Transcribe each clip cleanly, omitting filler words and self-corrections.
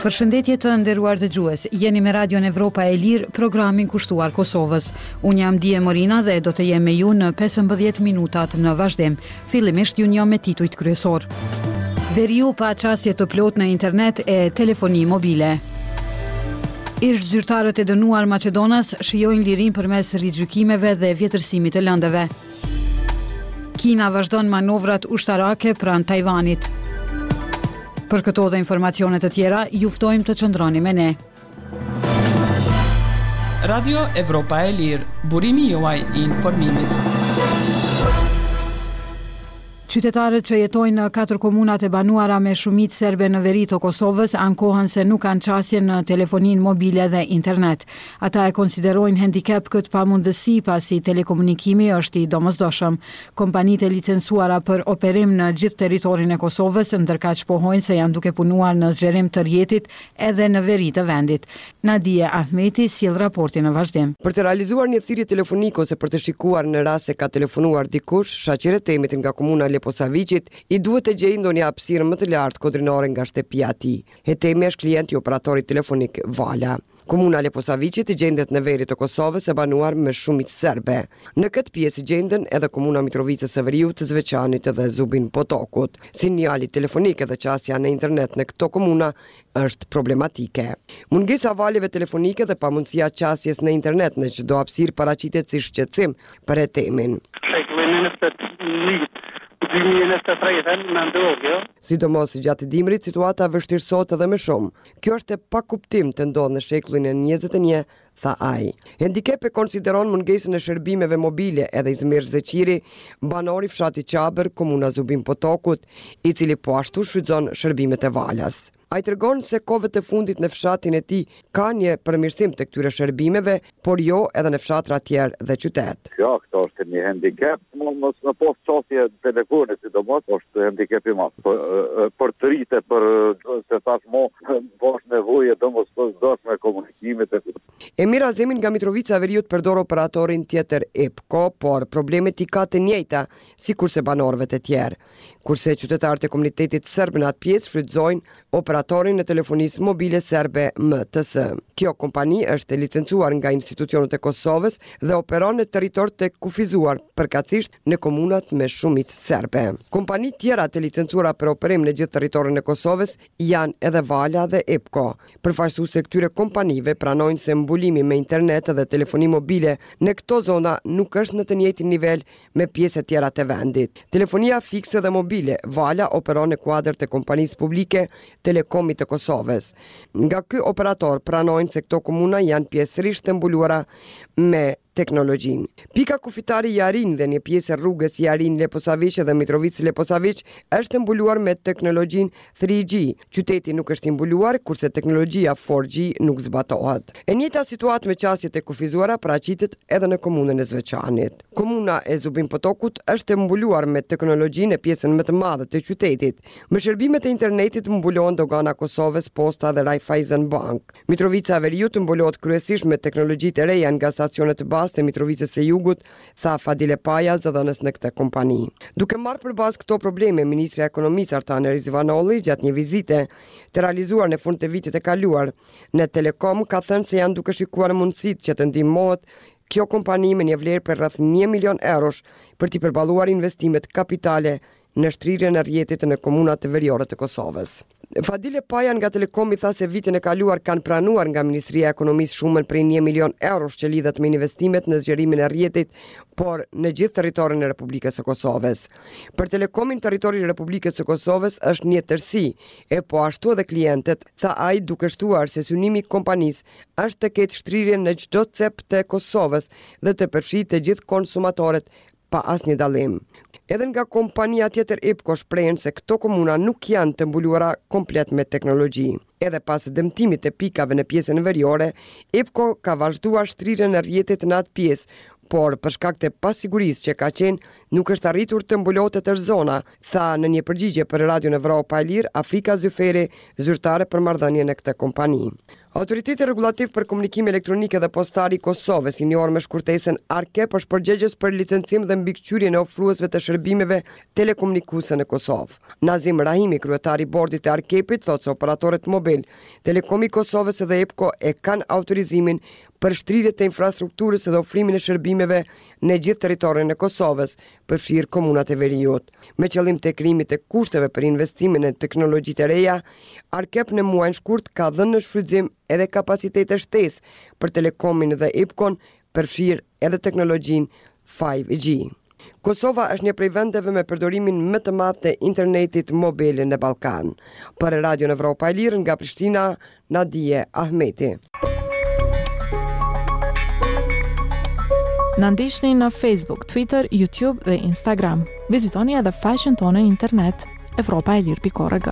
Përshëndetje të nderuar dëgjues, jeni me Radion Evropa e Lirë, programin kushtuar Kosovës. Unë jam Die Morina dhe do të jem me ju në 15 minutat në vazhdim. Fillimisht ju njoh me titujt kryesorë. Veriu pa qasje të plotë në internet e telefoni mobile. Ish zyrtarët e dënuar maqedonas shijojnë lirinë përmes rigjykimeve dhe vjetërsimit të lëndëve. Kina vazhdon manovrat ushtarake pranë Tajvanit. Për këto dhe informacione të tjera, ju ftojmë të qëndroni me ne. Radio Evropa e Lirë, burimi juaj i informimit. Qytetarët që jetojnë në katër komunat e banuara me shumicë serbe në veri të Kosovës ankohen se nuk kanë qasje në telefoninë mobile dhe internet. Ata e konsiderojnë hendikep këtë pamundësi pasi telekomunikimi është i domosdoshëm. Kompanitë e licencuara për operim në gjithë territorin e Kosovës ndërkaq pohojnë se janë duke punuar në zgjerim të rrjetit edhe në veri të vendit. Nadije Ahmeti sjell raportin në vazhdim. Për të realizuar një thirrje telefonike ose për të shikuar në rast se ka telefonuar dikush, Shaqir Hetemit nga komuna e Leposaviqit i duhet të gjejë ndonjë hapësirë më të lartë kodrinore nga shtëpia e tij. Hetemi është klient i operatorit telefonik Vala. Komuna e Leposaviqit gjendet në veri të Kosovës e banuar me shumicë serbe. Në këtë pjesë gjenden edhe komuna e Mitrovicës së Veriut, Zveçanit dhe Zubin Potokut. Sinjali telefonik dhe qasja në internet në këto komuna është problematike. Mungesa e valëve telefonike dhe pamundësia e qasjes në internet në çdo hapësirë paraqitet si shqetësim për Hetemin. Shekullin e 21, 2023 me ndodhë kjo. Sidomos gjatë dimrit situata vështirësohet edhe më shumë. Kjo është e pakuptimtë të ndodhë në shekullin e 21, tha ai. Hendikep e konsideron mungesën e shërbimeve mobile edhe Izmir Zeqiri, banor i fshatit Çabër, komuna Zubin Potokut, i cili po ashtu shfrytëzon shërbimet e Valës. Ai tregon se kohëve të fundit në fshatin e tij ka një përmirësim të këtyre shërbimeve, por jo edhe në fshatra tjerë dhe qytet. Jo, këto është një hendikep, mos me pas qasje në telefone, sidomos, është hendikep i madh. Për, për të rritë, për se tash mo, po është nevojë e domosdoshme komunikimit e Emir Azemi nga Mitrovica e Veriut përdor operatorin tjetër Epko, por problemet i ka të njëjta sikurse banorëve të tjerë. Kurse qytetarët e komunitetit serb në atë pjesë shfrytëzojnë operatorin e telefonisë mobile serbe MTS. Kjo kompani është e licencuar nga institucionet e Kosovës dhe operon në territor të kufizuar, përkatësisht në komunat me shumicë serbe. Kompani tjera të licencuara për operim në gjithë territorin e Kosovës janë edhe Vala dhe Epko. Përfaqësuesit e këtyre kompanive pranojnë se mbulimi me internet dhe telefoni mobile në këto zona nuk është në të njëjtin nivel me pjesët tjera të vendit. Telefonia fikse dhe mobile, Vala operon në kuadër të kompanisë publike Telekomit të Kosovës. Nga ky operator pranojnë se këto komuna janë pjesërisht të mbuluara me teknologjinë. Pika kufitare Jarinjë dhe një pjesë e rrugës Jarinjë-Leposaviq dhe Mitrovicë-Leposaviq është e mbuluar me teknologjinë 3G. Qyteti nuk është i mbuluar, kurse teknologjia 4G nuk zbatohet. E njëjta situatë me qasjet e kufizuara paraqitet edhe në komunën e Zveçanit. Komuna e Zubin Potokut është e mbuluar me teknologjinë në pjesën më të madhe të qytetit. Me shërbimet e internetit mbulohen Dogana e Kosovës, Posta dhe Raiffeisen Bank. Mitrovica e Veriut mbulohet kryesisht me teknologjitë e reja nga stacionet bazë të Mitrovicës së Jugut, tha Fadile Paja, zëdhënës në këtë kompani. Duke marrë për bazë këto probleme, ministrja e Ekonomisë Artane Rizvanolli gjatë një vizite të realizuar në fund të vitit të kaluar në Telekom ka thënë se janë duke shikuar mundësitë që të ndihmohet kjo kompani me një vlerë për rreth 1 milion eurosh për t'i përballuar investimet kapitale në shtrirjen e rrjetit në komunat veriore të Kosovës. Fadile Paja nga Telekomi tha se vitin e kaluar kanë pranuar nga Ministria e Ekonomisë shumën prej 1 milion eurosh që lidhet me investimet në zgjerimin e rrjetit, por në gjithë territorin e Republikës së Kosovës. Për Telekomin territori i Republikës së Kosovës është një tërësi, e po ashtu edhe klientët, tha ai duke shtuar se synimi i kompanisë është të ketë shtrirje në çdo cep të Kosovës dhe të përfshijë të gjithë konsumatorët pa asnjë dallim. Edhe nga kompania tjetër Epko shprehen se këto komuna nuk janë të mbuluara komplet me teknologji. Edhe pas dëmtimit të pikave në pjesën veriore, Epko ka vazhduar shtrirjen e rrjetit në atë pjesë, por për shkak të pasigurisë që ka qenë, nuk është arritur të mbulohet e tërë zona, tha në një përgjigje për Radion Evropa e Lirë, Afrika Zyferi, zyrtare për marrëdhënie në këtë kompani. Autoriteti Rregullativ për Komunikime Elektronike dhe Postare i Kosovës, i njohur me shkurtesën ARKEP, është përgjegjës për licencim dhe mbikëqyrjen e ofruesve të shërbimeve telekomunikuese në Kosovë. Nazim Rahimi, kryetar i bordit të ARKEP-it, thotë se operatorët mobil, Telekomi i Kosovës dhe EPKO e kanë autorizimin për shtrirje të infrastrukturës dhe ofrimin e shërbimeve në gjithë territorin e Kosovës, përfshirë komunat e veriut. Me qëllim të krijimit të kushteve për investime në teknologjitë e reja, ARKEP në muajin shkurt ka dhënë në shfrytëzim edhe kapacitete shtesë për Telekomin dhe EPKO-n, përfshirë edhe teknologjinë 5G. Kosova është një prej vendeve me përdorimin më të madh të internetit mobil në Ballkan. Për Radion Evropa e Lirë nga Prishtina, Nadije Ahmeti. Na ndiqni në Facebook, Twitter, YouTube dhe Instagram. Vizitoni edhe faqen tonë në internet evropaelire.org.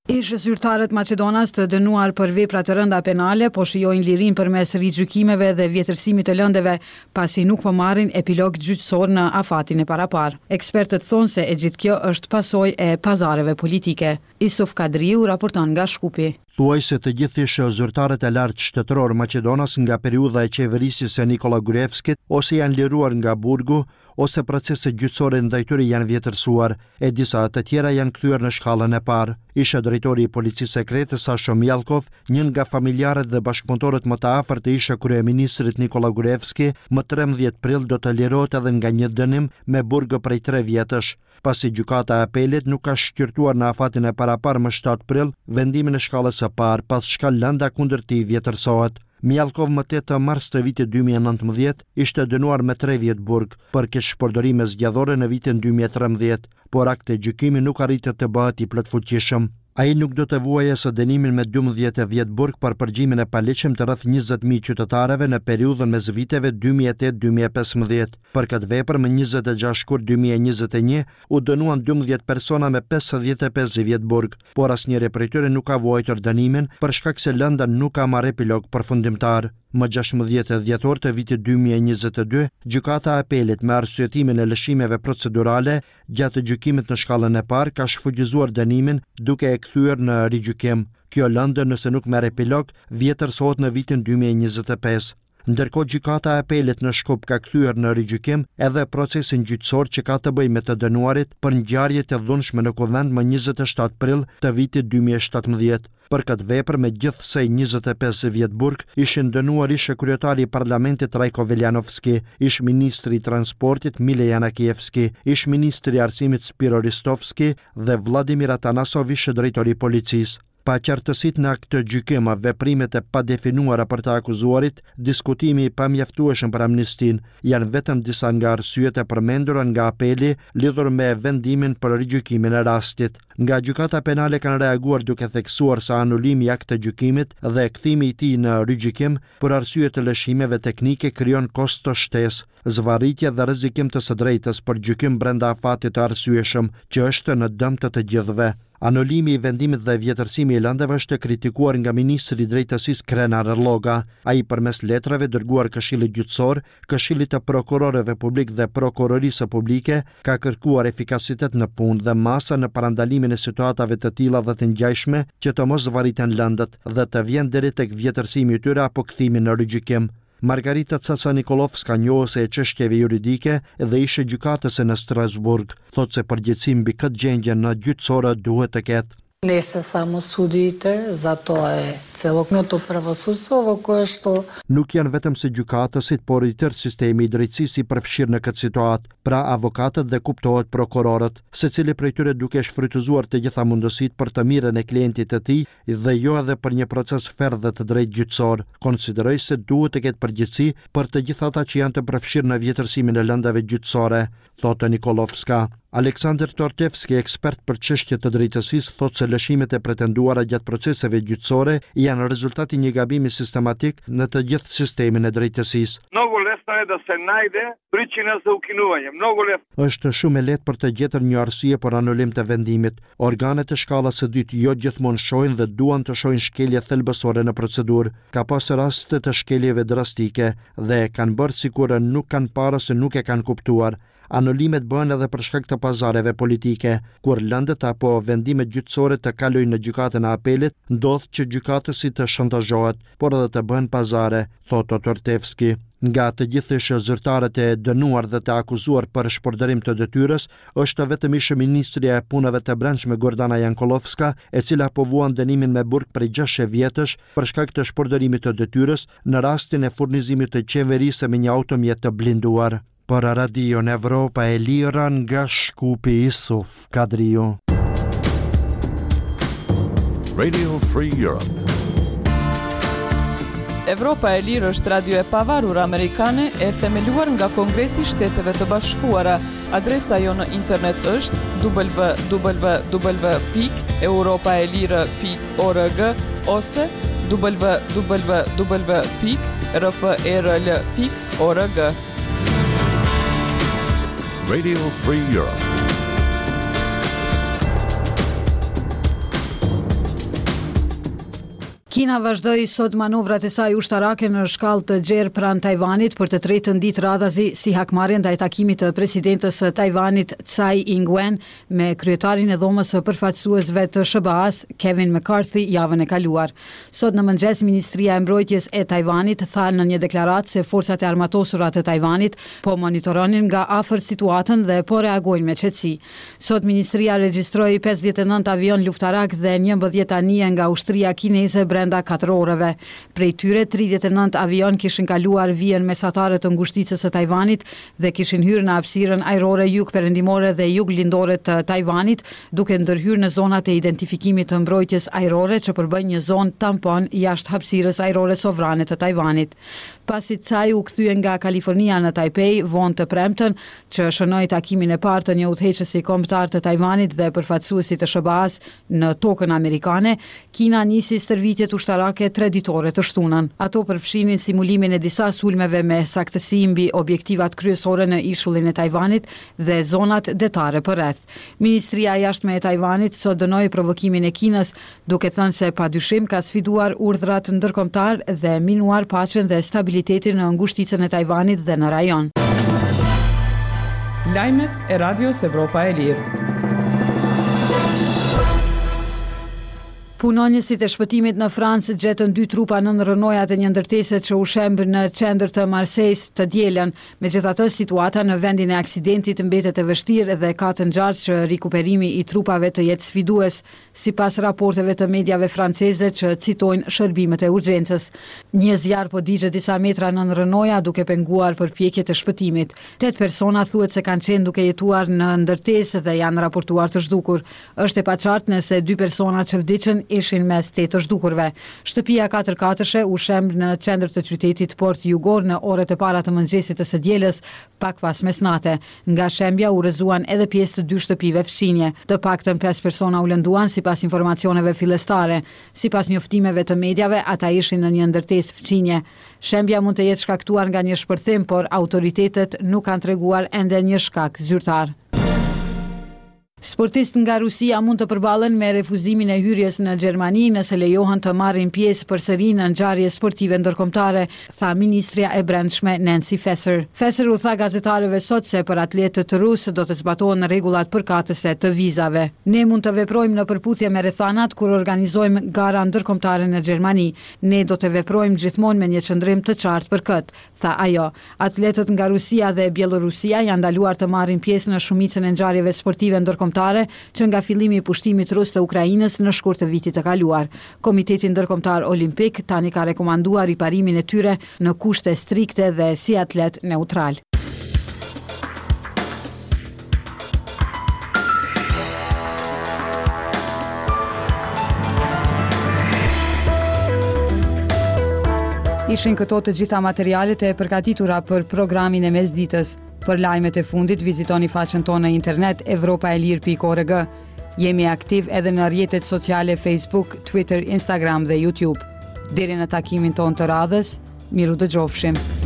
Ish-zyrtarët maqedonas të dënuar për vepra të rënda penale po shijojnë lirinë përmes rigjykimeve dhe vjetërsimit të lëndëve, pasi nuk po marrin epilog gjyqësor në afatin e paraparë. Ekspertët thonë se e gjithë kjo është pasojë e pazareve politike. Isuf Kadriu raporton nga Shkupi. Thuajse të gjithë ish-zyrtarët e lartë shtetërorë maqedonas nga periudha e qeverisjes së Nikolla Gruevskit ose janë liruar nga burgu, ose proceset gjyqësore ndaj tyre janë vjetërsuar, e disa të tjera janë kthyer në shkallën e parë. Ish-drejtori i Policisë Sekrete, Sasho Mijallkov, një nga familjarët dhe bashkëpunëtorët më të afërt të ish-kryeministrit Nikolla Gruevski, më 13 prill do të lirohet edhe nga një dënim me burg prej tre vjetësh, pasi Gjykata e Apelit nuk ka shqyrtuar në afatin e paraparë më 7 prill vendimin e shkallës së parë, pas çka lënda kundër tij vjetërsohet. Mijallkov më 8 mars të vitit 2019 ishte dënuar me 3 vjet burg për keqpërdorime zgjedhore në vitin 2013, por aktgjykimi nuk arriti të bëhet i plotfuqishëm. Ai nuk do të vuajë as dënimin me 12 vjet burg për përgjimin e paligjshëm të rreth 20.000 qytetarëve në periudhën mes viteve 2008-2015. Për këtë vepër më 26 shkurt 2021 u dënuan 12 persona me 55 vjet burg, por asnjëri prej tyre nuk ka vuajtur dënimin për shkak se lënda nuk ka marrë epilog përfundimtar. Më 16 dhjetor të vitit 2022, Gjykata e Apelit me arsyetimin e lëshimeve procedurale gjatë gjykimit në shkallën e parë ka shfuqizuar dënimin duke e kthyer në rigjykim. Kjo lëndë nëse nuk merr epilog, vjetërsohet në vitin 2025. Ndërkohë Gjykata e Apelit në Shkup ka kthyer në rigjykim edhe procesin gjyqësor që ka të bëjë me të dënuarit për ngjarjet e dhunshme në Kuvend më 27 prill të vitit 2017. Për këtë vepër me gjithsej 25 vjet burg ishin dënuar ish-kryetari i Parlamentit Trajko Veljanovski, ish-ministri i Transportit Mile Janakievski, ish-ministri i Arsimit Spiro Ristovski dhe Vladimir Atanasov ish-drejtori i policisë. Paqartësitë në aktgjykim, veprimet e padefinuara për të akuzuarit, diskutimi i pamjaftueshëm për amnistinë, janë vetëm disa nga arsyet e përmendura nga Apeli lidhur me vendimin për rigjykimin e rastit. Nga Gjykata Penale kanë reaguar duke theksuar se anulimi i aktgjykimit dhe kthimi i tij në rigjykim për arsye të lëshimeve teknike krijon kosto shtesë, zvarritje dhe rrezikim të së drejtës për gjykim brenda afatit të arsyeshëm, që është në dëm të të gjithëve. Anulimi i vendimit dhe vjetërsimi i lëndëve është kritikuar nga ministri i Drejtësisë Krenar Lloga. Ai përmes letrave dërguar Këshillit Gjyqësor, Këshillit të Prokurorëve Publik dhe Prokurorisë Publike, ka kërkuar efikasitet në punë dhe masa në parandalimin e situatave të tilla dhe të ngjashme që të mos zvarriten lëndët dhe të vjen deri tek vjetërsimi i tyre apo kthimi në rigjykim. Margarita Caca Nikollovska, njohëse e çështjeve juridike dhe ish gjykatëse në Strasburg, thotë se përgjegjësi mbi këtë gjendje në gjyqësor duhet të ketë. Не се само судиите, затоа е целокупното правосудство во кое што Nuk janë vetëm se gjykatësit, por i tërë sistemi i drejtësisë i përfshirë në këtë situatë, pra avokatët dhe kuptohet prokurorët, secili prej tyre duke shfrytëzuar të gjitha mundësitë për të mirën e klientit të tij dhe jo edhe për një proces fer dhe të drejtë gjyqësor. Konsideroj se duhet të ketë përgjegjësi për të gjithë ata që janë të përfshirë në vjetërsimin e lëndave gjyqësore, thotë Nikollovska. Aleksandr Tortevski, ekspert për çështje të drejtësisë, thotë se lëshimet e pretenduara gjatë proceseve gjyqësore janë rezultat i një gabimi sistematik në të gjithë sistemin e drejtësisë. Многу лесно е да се најде причина за укинување. Многу лесно. Është shumë e lehtë për të gjetur një arsye për anulim të vendimit. Organet e shkallës së dytë jo gjithmonë shohin dhe duan të shohin shkelje thelbësore në procedurë. Ka pas raste të shkeljeve drastike dhe e kanë bërë sikur nuk kanë parë ose nuk e kanë kuptuar. Anulimet bëhen edhe për shkak të pazareve politike. Kur lëndët apo vendimet gjyqësore të kalojnë në Gjykatën e Apelit, ndodh që gjykatësi të shantazhohet, por edhe të bëhen pazare, thotë Tortevski. Nga të gjithë ish-zyrtarët e dënuar dhe të akuzuar për shpërdorim të detyrës, është vetëm ish-ministrja e Punëve të Brendshme Gordana Jankollovska, e cila po vuan dënimin me burg prej 6 vjetësh për shkak të shpërdorimit të detyrës në rastin e furnizimit të qeverisë me një automjet të blinduar. Për Radion Evropa e Lirë nga Shkupi Isuf Kadriu. Radio Free Europe. Evropa e Lirë është radio e pavarur amerikane e themeluar nga Kongresi i Shteteve të Bashkuara. Adresa jonë në internet është www.europaelire.org ose www.rferl.org. Radio Free Europe. Kina vazhdoi sot manovrat e saj ushtarake në shkallë të gjerë pranë Tajvanit për të tretën ditë radhazi si hakmarrje ndaj takimit të presidentes së Tajvanit Tsai Ing-wen me kryetarin e Dhomës së Përfaqësuesve të SHBA-së, Kevin McCarthy javën e kaluar. Sot në mëngjes, Ministria e Mbrojtjes e Tajvanit tha në një deklaratë se forcat e armatosura të Tajvanit po monitoronin nga afër situatën dhe po reagojnë me qetësi. Sot ministria regjistroi 59 avionë luftarakë dhe 11 anije nga ushtria kineze brenda katër orëve. Prej tyre, 39 avionë kishin kaluar vijën mesatare të ngushticës së Tajvanit dhe kishin hyrë në hapësirën ajrore jugperëndimore dhe juglindore të Tajvanit, duke ndërhyrë në zonat e identifikimit të mbrojtjes ajrore që përbëjnë një zonë tampon jashtë hapësirës ajrore sovrane të Tajvanit. Pasi Tsai u kthye nga Kalifornia në Taipei vonë të premten, që shënoi takimin e parë të një udhëheqësi kombëtar të Tajvanit dhe përfaqësuesi të SHBA-së në tokën amerikane, Kina nisi stërvitjet ushtarake tre-ditore të shtunën. Ato përfshinin simulimin e disa sulmeve me saktësi mbi objektivat kryesore në ishullin e Tajvanit dhe zonat detare përreth. Ministria e Jashtme e Tajvanit sot dënoi provokimin e Kinës, duke thënë se padyshim ka sfiduar urdhrat ndërkombëtarë dhe minuar paqen dhe stabilitetin në ngushticën e Tajvanit dhe në rajon. Lajmet e Radios Evropa e Lirë. Punonjësit e shpëtimit në Francë gjetën dy trupa nën rrënojat e një ndërtese që u shemb në qendër të Marsejës të dielën. Megjithatë, situata në vendin e aksidentit mbetet e vështirë dhe ka të ngjarë që rikuperimi i trupave të jetë sfidues, sipas raporteve të mediave franceze që citojnë shërbimet e urgjencës. Një zjarr po digjet disa metra nën rrënoja, duke penguar përpjekjet e shpëtimit. Tetë persona thuhet se kanë qenë duke jetuar në ndërtesë dhe janë raportuar të zhdukur. Është e paqartë nëse dy persona që vdiqën ishin mes tetë të zhdukurve. Shtëpia katërkatëshe u shemb në qendër të qytetit port jugor në orët e para të mëngjesit të së dielës, pak pas mesnate. Nga shembja u rrëzuan edhe pjesë të dy shtëpive fqinje. Të paktën pesë persona u lënduan, sipas informacioneve fillestare. Sipas njoftimeve të mediave, ata ishin në një ndërtesë fqinje. Shembja mund të jetë shkaktuar nga një shpërthim, por autoritetet nuk kanë treguar ende një shkak zyrtar. Sportistë nga Rusia mund të përballen me refuzimin e hyrjes në Gjermani nëse lejohen të marrin pjesë përsëri në ngjarje sportive ndërkombëtare, tha ministrja e Brendshme Nancy Faeser. Faeser u tha gazetarëve sot se për atletët rusë do të zbatohen rregullat përkatëse të vizave. Ne mund të veprojmë në përputhje me rrethanat kur organizojmë gara ndërkombëtare në Gjermani. Ne do të veprojmë gjithmonë me një qëndrim të qartë për këtë, tha ajo. Atletët nga Rusia dhe Bjellorusia janë ndaluar të marrin pjesë në shumicën e ngjarjeve sportive ndërkombëtare që nga fillimi i pushtimit rus të Ukrainës në shkurt të vitit të kaluar. Komiteti Ndërkombëtar Olimpik tani ka rekomanduar riparimin e tyre në kushte strikte dhe si atletë neutralë. Ishin këto të gjitha materialet e përgatitura për programin e mesditës. Për lajmet e fundit vizitoni faqen tonë në internet evropaelire.org. Jemi aktiv edhe në rrjetet sociale Facebook, Twitter, Instagram dhe YouTube. Deri në takimin tonë të radhës, mirudëgjofshim.